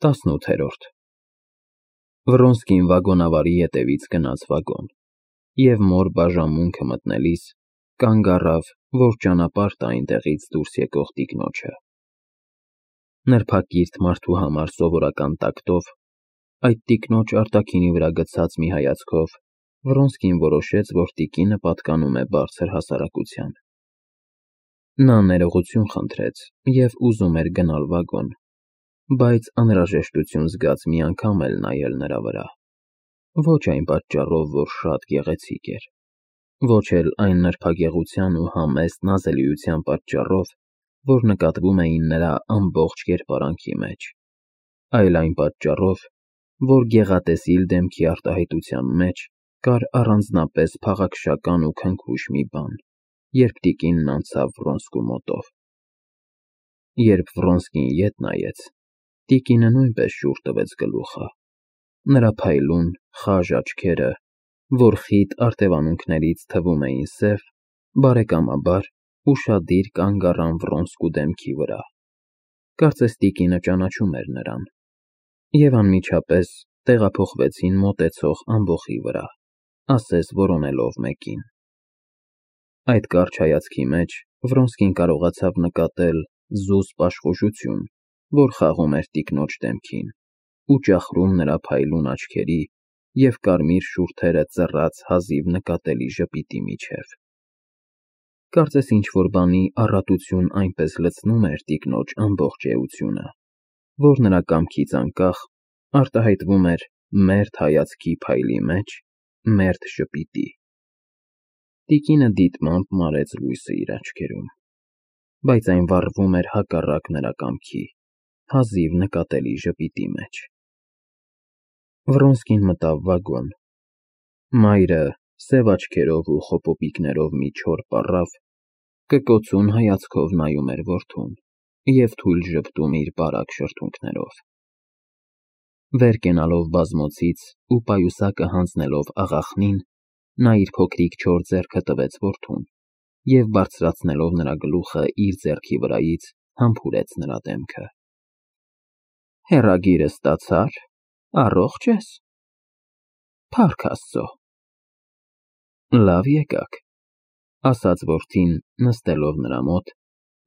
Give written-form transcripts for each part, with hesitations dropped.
18-րդ Վռոնսկին վագոնավարի ետևից գնաց վագոն և մոր բաժանմունքը մտնելիս կանգ առավ, որ ճանապարհ տա այնտեղից դուրս եկող տիկնոջը։ Նրբակիրթ մարդու համար սովորական տակտով, այդ տիկնոջ արտաքինի վրա գցած մի հայացքով Վռոնսկին որոշեց, որ տիկինը պատկանում է բարձր հասարակության։ Նա ներողություն խնդրեց և ուզում էր գնալ վագոն, բայց անհրաժեշտություն զգաց մի անգամ էլ նայել նրա վրա, ոչ այն պատճառով, որ շատ գեղեցիկ էր, ոչ էլ այն նրբագեղության ու համեստ նազելիության պատճառով, որ նկատվում էին նրա ամբողջ կերպարանքի մեջ, այլ այն պատճառով, որ գեղատեսիլ դեմքի արտահայտության մեջ կար առանձնապես փաղաքշական ու քնքուշ մի բան, երբ տիկինն անցավ Վռոնսկու մոտով։ Երբ Վռոնսկին ետ նայեց, տիկինը նույնպես շուռ տվեց գլուխը, նրա փայլուն, խաժ աչքերը, որ խիտ արտևանունքներից թվում էին սև, բարեկամաբար ուշադիր կանգ առան Վռոնսկու դեմքի վրա, կարծես տիկինը ճանաչում էր նրան, և անմիջապես տեղափոխվեցին մոտեցող ամբոխի վրա, ասես որոնելով մեկին։ Այդ կարճ հայացքի մեջ Վռոնսկին կարողացավ նկատել զուսպ աշխուժություն, որ խաղում էր տիկնոջ դեմքին ու ճախրում նրա փայլուն աչքերի և կարմիր շուրթերը ծռած հազիվ նկատելի ժպիտի միջև։ Կարծես ինչ-որ բանի առատություն այնպես լցնում էր տիկնոջ ամբողջ էությունը, որ նրա կամքից անկախ արտահայտվում էր մերթ հայացքի փայլի մեջ մերթ ժպիտի։ Տիկինը դիտմամբ մարեց լույսը իր աչքերում, բայց այն վառվում էր հակառակ նրա կամքի, հազիվ նկատելի ժպիտի մեջ։ Վռոնսկին մտավ վագոն։ Մայրը, սև աչքերով ու խոպոպիկներով մի չոր պառավ, կկոցուն հայացքով նայում էր որդուն և թույլ ժպտում իր բարակ շրթունքներով։ Վեր կենալով բազմոցից ու պայուսակը հանձնելով աղախնին, նա իր փոքրիկ չոր ձեռքը տվեց որդուն և բարձրացնելով նրա գլուխը իր ձեռքի վրայից համբուրեց նրա դեմքը։ Հեռագիրը ստացա՞ր, առողջ ես։ Փառք Աստծո։ Լավ եկաք, ասաց որդին, նստելով նրա մոտ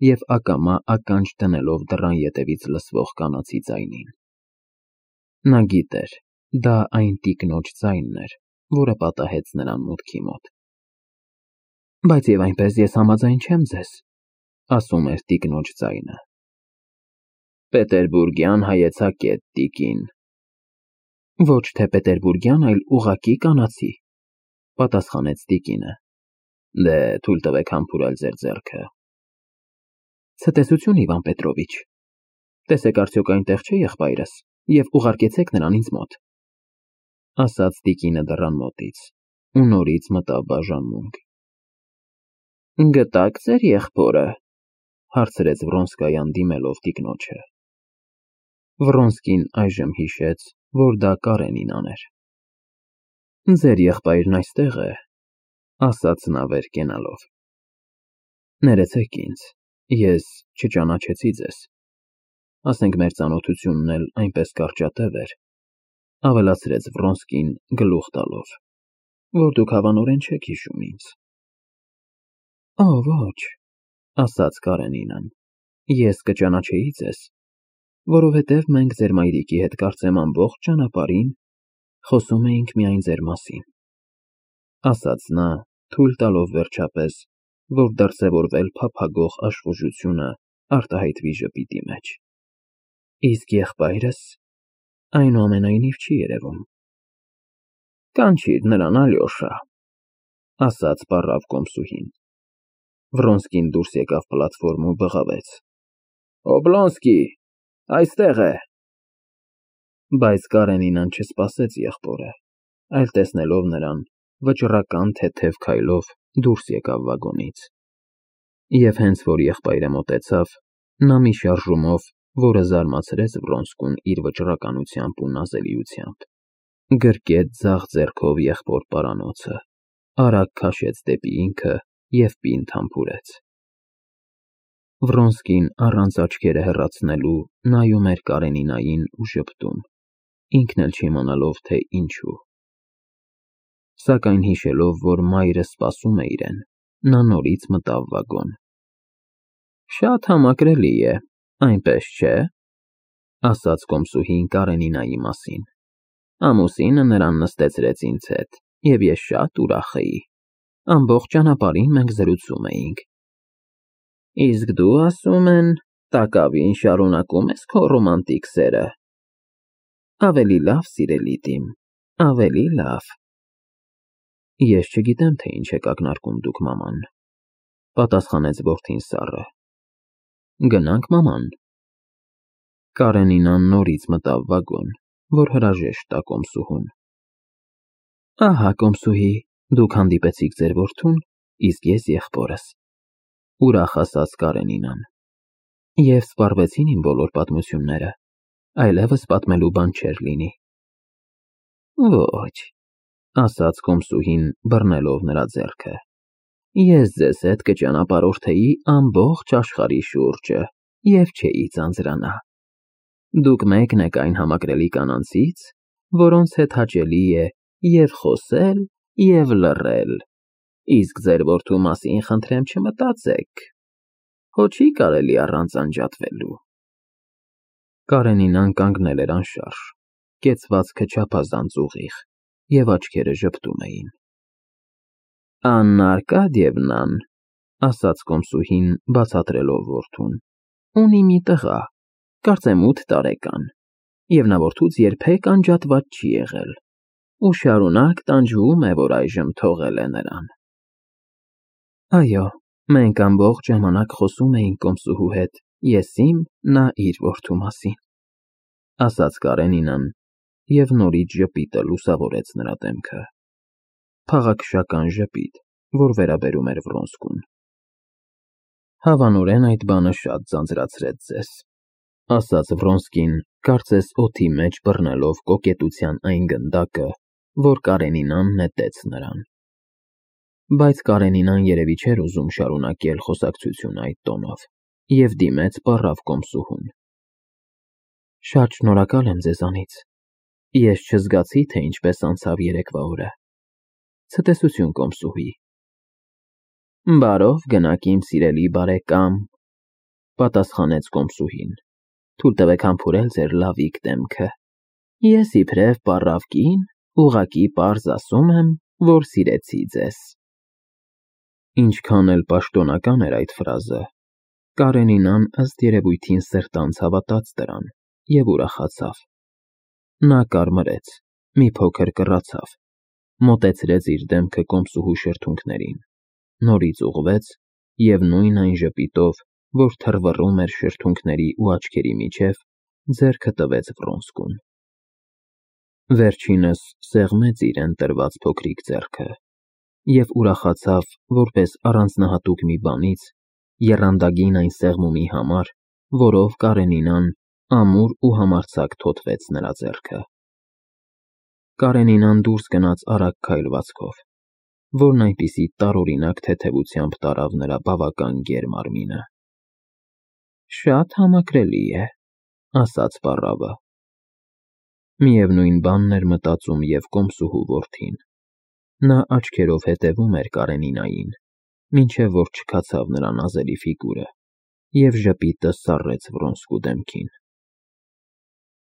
և ակամա ականջ դնելով դռան ետևից լսվող կանացի ձայնին։ Նա գիտեր, դա այն տիկնոջ ձայնն էր, որը պատահեց նրան մուտքի մոտ։ Բայց և այնպես ես համաձայն չեմ ձեզ, ասում էր տիկնոջ ձայնը։ Պետերբուրգյան հայեցակետ, տիկին։ Ոչ թե պետերբուրգյան, այլ ուղղակի կանացի, պատասխանեց տիկինը։ Դե թույլ տվեք համբուրել ձեր ձեռքը։ Ցտեսություն, Իվան Պետրովիչ, տեսեք արդյոք այնտեղ չէ եղբայրս և ուղարկեցեք նրան ինձ մոտ, ասաց տիկինը դռան մոտից ու նորից մտավ բաժանմունք։ Գտա՞ք ձեր եղբորը, հարցրեց Վռոնսկայան դիմելով տիկնոջը։ Վռոնսկին այժմ հիշեց, որ դա Կարենինան էր։ Ձեր եղբայրն այստեղ է, ասաց նա վեր կենալով։ Ներեցեք ինձ, ես չճանաչեցի ձեզ, ասենք մեր ծանոթությունն էլ այնպես կարճատև էր, ավելացրեց Վռոնսկին գլուխ տալով, որ դուք հավանորեն չեք հիշում ինձ։ Օ, ոչ, ասաց Կարենինան, ես կճանաչեի ձեզ, որովհետև մենք ձեր մայրիկի հետ կարծեմ ամբողջ ճանապարհին խոսում էինք միայն ձեր մասին, ասաց նա, թույլ տալով վերջապես, որ դրսևորվել փափագող աշխուժությունը արտահայտվի ժպիտի մեջ։ Իսկ եղբայրս այնուամենայնիվ չի երևում։ Կանչիր նրան, Ալյոշա, ասաց պառավ կոմսուհին։ Վռոնսկին դուրս եկավ պլատֆորմ ու բղավեց. Օբլոնսկի, այստեղ է։ Բայց Կարենինան չսպասեց եղբորը, այլ տեսնելով նրան, վճռական թեթև քայլով դուրս եկավ վագոնից։ Եվ հենց որ եղբայրը մոտեցավ, նա մի շարժումով, որը զարմացրեց Վռոնսկուն իր վճռականությամբ ու նազելիությամբ, գրկեց ձախ ձեռքով եղբոր պարանոցը, արագ քաշեց դեպի ինքը և պինդ համբուրեց։ Վրոնսկին առանց աչքերը հեռացնելու նայում էր Կարենինային ու ժպտում, ինքն էլ չիմանալով, թե ինչու։ Սակայն հիշելով, որ մայրը սպասում է իրեն, նա նորից մտավ վագոն։ Շատ համակրելի է, այնպես չէ՞, ասաց կոմսուհին Կարենինայի մասին։ Ամուսինը նրան նստեցրեց ինձ հետ, և ես շատ ուրախ էի։ Ամբողջ ճանապարհին մենք զրուցում էինք։ Իսկ դու, ասում են, տակավին շարունակում ես քո ռոմանտիկ սերը։ Ավելի լավ, սիրելի Տիմ, ավելի լավ։ Ես չգիտեմ, թե ինչ եք ակնարկում դուք, մաման, պատասխանեց որդին սառը։ Գնանք, մաման։ Կարենինան նորից մտավ վագոն, որ հրաժեշտ տա կոմսուհուն։ Ահա, կոմսուհի, դուք հանդիպեցիք ձեր որդուն, իսկ ես եղբորս, ուրախ ասաց Կարենինան։ Եվ սպառվեցին իմ բոլոր պատմությունները, այլևս պատմելու բան չէր լինի։ Ոչ, ասաց կոմսուհին, բռնելով նրա ձեռքը։ Ես ձեզ հետ կճանապարհորդեի ամբողջ աշխարհի շուրջը և չէի ձանձրանա։ Դուք մեկն եք այն համակրելի կանանցից, որոնց հետ հաճելի է և խոսել, և լռել, իսկ ձեր որդու մասին խնդրեմ չմտածեք, հո չի կարելի առանց անջատվելու։ Կարենինան կանգնել էր անշարժ, կեցվածքը չափազանց ուղիղ, և աչքերը ժպտում էին։ Աննա Արկադիևնան, ասաց կոմսուհին, բացատրելով որդուն, ունի մի տղա, կարծեմ 8 տարեկան, և նա որդուց երբեք անջատված չի եղել, ու շարունակ տանջվում է, որ այժմ թողել է նրան։ Այո, մենք ամբողջ ժամանակ խոսում էինք կոմսուհու հետ, ես իմ, նա իր որդու մասին, ասաց Կարենինան, և նորից ժպիտը լուսավորեց նրա դեմքը։ Փաղաքշական ժպիտ, որ վերաբերում էր Վրոնսկուն։ Հավանորեն այդ բանը շատ ձանձրացրեց ձեզ, ասաց Վրոնսկին, կարծես օդի մեջ բռնելով կոկետության այն գնդակը, որ Կարենինան նետեց նրան։ Բայց Կարենինան երևի չէր ուզում շարունակել խոսակցությունը այդ տոնով, և դիմեց պառավ կոմսուհուն։ Շատ շնորհակալ եմ ձեզանից, ես չզգացի, թե ինչպես անցավ երեկվա օրը։ Ցտեսություն, կոմսուհի։ Բարով գնաք, իմ սիրելի բարեկամ, պատասխանեց կոմսուհին, թույլ տվեք համբուրել ձեր լավիկ դեմքը։ Ես իբրև պառավ կին, ուղղակի պարզ ասում եմ, որ սիրեցի ձեզ։ Ինչքան էլ պաշտոնական էր այդ ֆրազը, Կարենինան ըստ երևույթին սրտանց հավատաց դրան և ուրախացավ։ Նա կարմրեց, մի փոքր կռացավ, մոտեցրեց իր դեմքը կոմսուհու շրթունքներին, նորից ուղղվեց և նույն այն ժպիտով, որ թռվռում էր շրթունքների ու աչքերի միջև, ձեռքը տվեց Վրոնսկուն։ Վերջինս սեղմեց իրեն տրված փոքրիկ ձեռքը և ուրախացավ որպես առանձնահատուկ մի բանից, եռանդագին այն սեղմումի համար, որով Կարենինան ամուր ու համարձակ թոթվեց նրա ձեռքը։ Կարենինան դուրս գնաց արագ քայլվածքով, որն այնպիսի տարօրինակ թեթևությամբ տարավ նրա բավական գեր մարմինը։ Շատ համակրելի է, ասաց պառավը։ Միևնույն բանն էր մտածում և կոմսուհու որդին։ Նա աչքերով հետևում էր Կարենինային, մինչև որ չքացավ նրա նազելի ֆիգուրը, և ժպիտը սառեց Վրոնսկու դեմքին։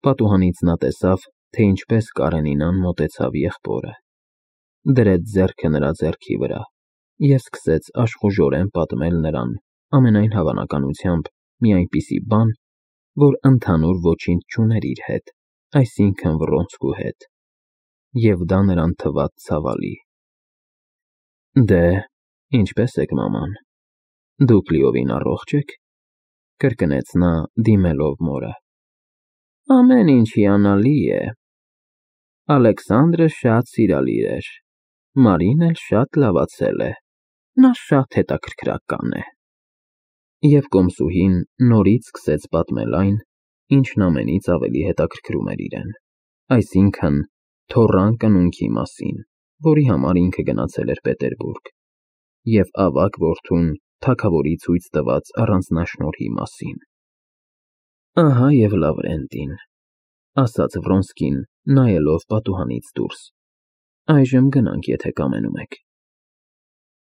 Պատուհանից նա տեսավ, թե ինչպես Կարենինան մոտեցավ եղբորը, դրեց ձեռքը նրա ձեռքի վրա և սկսեց աշխուժորեն պատմել նրան ամենայն հավանականությամբ մի այնպիսի բան, որ ընդհանուր ոչինչ չուներ իր հետ, այսինքն Վրոնսկու հետ, և դա նրան թվաց ցավալի։ Դե, ինչպե՞ս եք, մաման, դուք լիովին առողջ եք, կրկնեց նա, դիմելով մորը։ Ամեն ինչ հիանալի է։ Ալեքսանդրը շատ սիրալիր էր, Մարին էլ շատ լավացել է, նա շատ հետաքրքրական է։ Եվ կոմսուհին նորից սկսեց պատմել այն, ինչն ամենից ավելի հետաքրքրում էր իրեն, այսինքն թոռան կնունքի մասին, որի համար ինքը գնացել էր Պետերբուրգ, և ավագ որդուն թագավորի ցույց տված առանձնաշնորհի մասին։ Ահա և Լավրենտին, ասաց Վրոնսկին, նայելով պատուհանից դուրս։ Այժմ գնանք, եթե կամենում եք։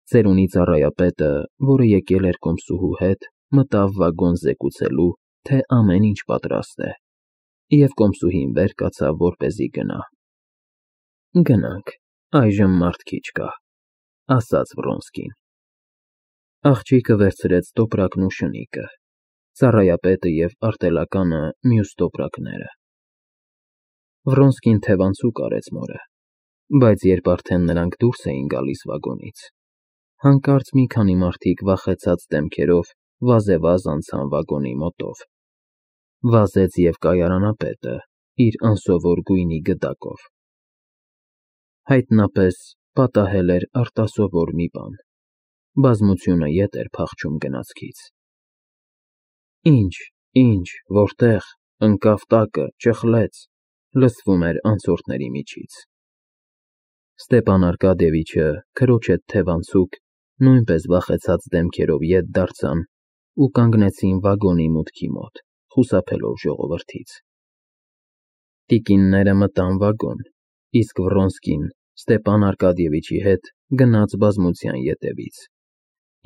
Ծերունի ծառայապետը, որը եկել էր կոմսուհու հետ, մտավ վագոն զեկուցելու, թե ամեն ինչ պատրաստ է, և կոմսուհին վեր կացավ, որպեսզի գնա։ Գնանք, այժմ մարդ քիչ կա, ասաց Վրոնսկին։ Աղջիկը վերցրեց տոպրակն ու շնիկը, ծառայապետը և արտելականը մյուս տոպրակները։ Վրոնսկին թևանցուկ արեց մորը, բայց երբ արդեն նրանք դուրս էին գալիս վագոնից, հանկարծ մի քանի մարդիկ վախեցած դեմքերով վազեվազ անցան վագոնի մոտով։ Վազեց և կայարանապետը իր անսովոր գույնի գդակով։ Հայտնապես պատահել էր արտասովոր մի բան, բազմությունը ետ էր փախչում գնացքից։ Ինչ, որտեղ, ընկավ տակը, ճխլեց, լսվում էր անցորդների միջից։ Ստեպան Արկադիևիչը, քրոջ հետ թևանցուկ, նույնպես վախեցած դեմքերով ետ դարձան ու կանգնեցին վագոնի մուտքի մոտ, խուսափելով ժողովրդից։ Տիկինները մտան վագոն, իսկ Վրոնսկին Ստեպան Արկադիևիչի հետ գնաց բազմության ետևից,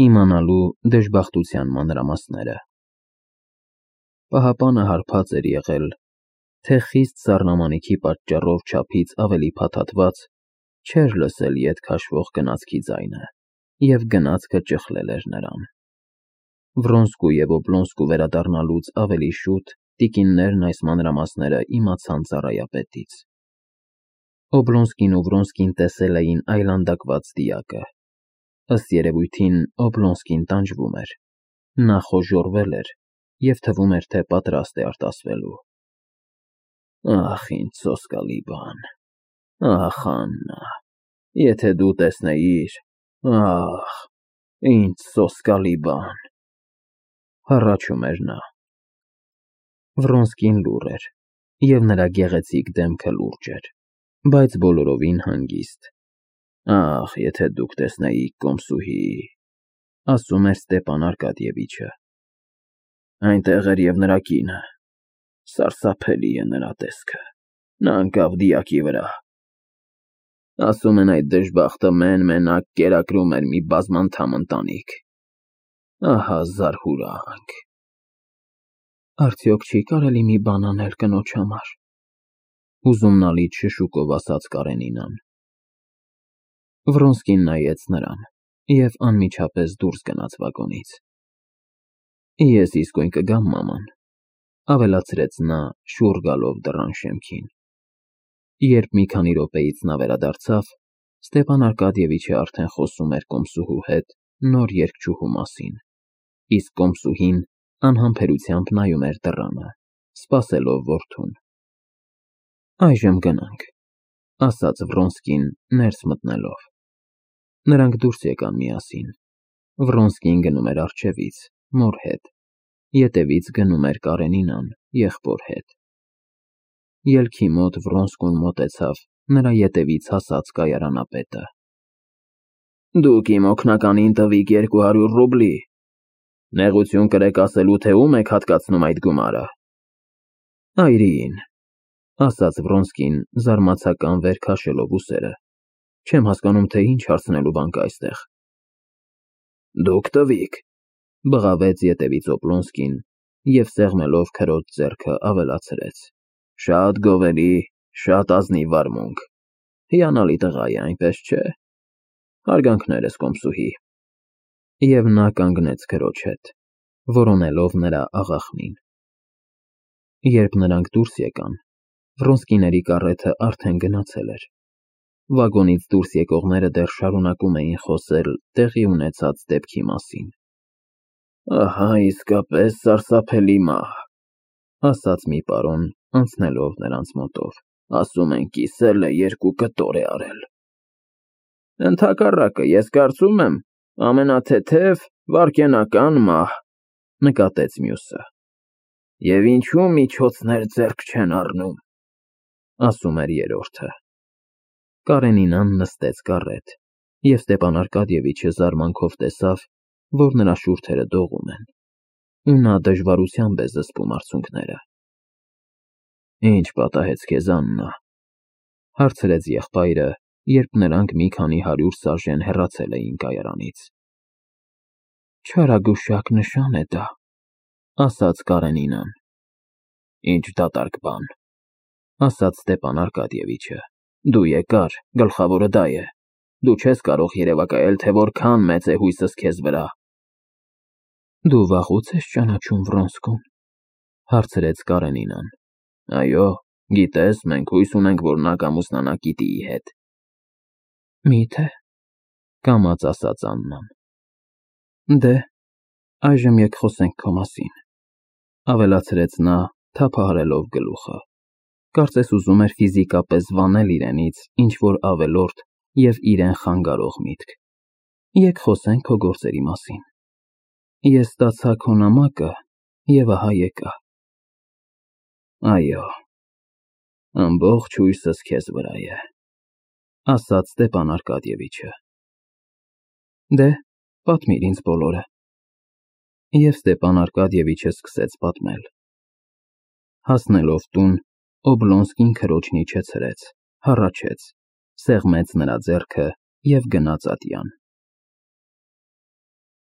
իմանալու դժբախտության մանրամասները։ Պահապանը հարբած էր եղել, թե խիստ սառնամանիքի պատճառով չափից ավելի փաթաթված, չէր լսել ետ քաշվող գնացքի ձայնը, և գնացքը ճխլել էր նրան։ Վրոնսկու և Օբլոնսկու վերադառնալուց ավելի շուտ տիկիններն այս մանրամասները իմացան ծառայապետից։ Օբլոնսկին ու Վրոնսկին տեսել էին այլանդակված դիակը։ Ըստ երևույթին Օբլոնսկին տանջվում էր, նա խոժոռվել էր և թվում էր, թե պատրաստ է արտասվելու։ Ախ, ինչ սոսկալի բան, ախ, Աննա, եթե դու տեսնեիր, ախ, ինչ սոսկալի բան, հառաչում էր նա։ Վրոնսկին լուռ էր, և նրա գեղեցիկ դեմքը լուրջ էր, բայց բոլորովին հանգիստ։ Ախ, եթե դուք տեսնեիք կոմսուհի, ասում էր Ստեպան Արկադիևիչը։ Այնտեղ էր և նրա կինը, սարսափելի է նրա տեսքը, նա ընկավ դիակի վրա։ Ասում են այդ դժբախտը մեն֊մենակ կերակրում էր մի բազմանդամ ընտանիք։ Ահա զարհուրանք։ Արդյոք չի կարելի մի բան անել կնոջ համար, հուզումնալից շշուկով ասաց Կարենինան։ Վրոնսկին նայեց նրան և անմիջապես դուրս գնաց վագոնից։ Ես իսկույն կգամ, մաման, ավելացրեց նա, շուռ գալով դռան շեմքին։ Երբ մի քանի րոպեից նա վերադարձավ, Ստեպան Արկադիևիչը արդեն խոսում էր կոմսուհու հետ նոր երգչուհու մասին, իսկ կոմսուհին անհամբերությամբ նայում էր դռանը, սպասելով որդուն։ Այժմ գնանք, ասաց Վրոնսկին ներս մտնելով։ Նրանք դուրս եկան միասին։ Վրոնսկին գնում էր առջևից, մոր հետ, ետևից գնում էր Կարենինան, եղբոր հետ։ Ելքի մոտ Վրոնսկուն մոտեցավ նրա ետևից հասած կայարանապետը։ Դուք իմ օգնականին տվիք 200 ռուբլի։ Նեղություն կրեք ասելու, թե ում եք հատկացնում այդ գումարը։ Այրիին, ասաց Վրոնսկին զարմացական վեր քաշելով ուսերը։ Չեմ հասկանում, թե ինչ հարցնելու բան կա այստեղ։ Դուք տվիք, բղավեց ետևից Օբլոնսկին և սեղմելով քրոջ ձեռքը ավելացրեց. Շատ գովելի, շատ ազնիվ վարմունք։ Հիանալի տղա է, այնպես չէ։ Հարգանքներս, կոմսուհի։ Եվ նա կանգնեց քրոջ հետ, որոնելով նրա աղախնին։ Երբ նրանք դուրս եկան, Վրոնսկիների կառեթը արդեն գնացել էր։ Վագոնից դուրս եկողները դեռ շարունակում էին խոսել տեղի ունեցած դեպքի մասին։ Ահա իսկապես սարսափելի մահ, ասաց մի պարոն, անցնելով նրանց մոտով։ Ասում են կիսել է 2 կտոր է արել։ Ընդհակառակը, ես կարծում եմ, ամենաթեթև վայրկենական մահ, նկատեց մյուսը։ Եվ ինչու միջոցներ ձեռք չեն առնում, ասում էր երրորդը։ Կարենինան նստեց կառետ, և Ստեպան Արկադիևիչը զարմանքով տեսավ, որ նրա շուրթերը դողում են, ու նա դժվարությամբ է զսպում արցունքները։ Ինչ պատահեց քեզ, Աննա, հարցրեց եղբայրը, երբ նրանք մի քանի 100 սաժեն հեռացել էին կայարանից։ Չարագուշակ նշան է դա, ասաց Կարենինան։ Ինչ դատարկ բան, ասաց Ստեփան Արկադիևիչը։ Դու եկար, գլխավորը դա է։ Դու չես կարող երևակայել, թե որքան մեծ է հույսս քեզ վրա։ Դու վաղուց ես ճանաչում Վրոնսկուն, հարցրեց Կարենինան։ Այո, գիտես, մենք հույս ունենք, որ նա կամուսնանա Կիտիի հետ։ Մի՞թե, կամաց ասաց Աննան։ Դե, այժմ եկ խոսենք քո մասին, ավելացրեց նա, թափահարելով գլուխը։ Կարծես ուզում էր ֆիզիկապես վանել իրենից ինչ-որ ավելորդ և իրեն խանգարող միտք։ Եկ խոսենք քո գործերի մասին։ Ես ստացա քո նամակը և ահա եկա։ Այո, ամբողջ հույսս քեզ վրա է, ասաց Ստեփան Արկադիևիչը։ Դե, պատմիր ինձ բոլորը։ Եվ Ստեփան Արկադիևիչը սկսեց պատմել։ Հասնելով տուն, Օբլոնսկին քրոջն իջեցրեց, հառաչեց, սեղմեց նրա ձեռքը և գնաց ատյան։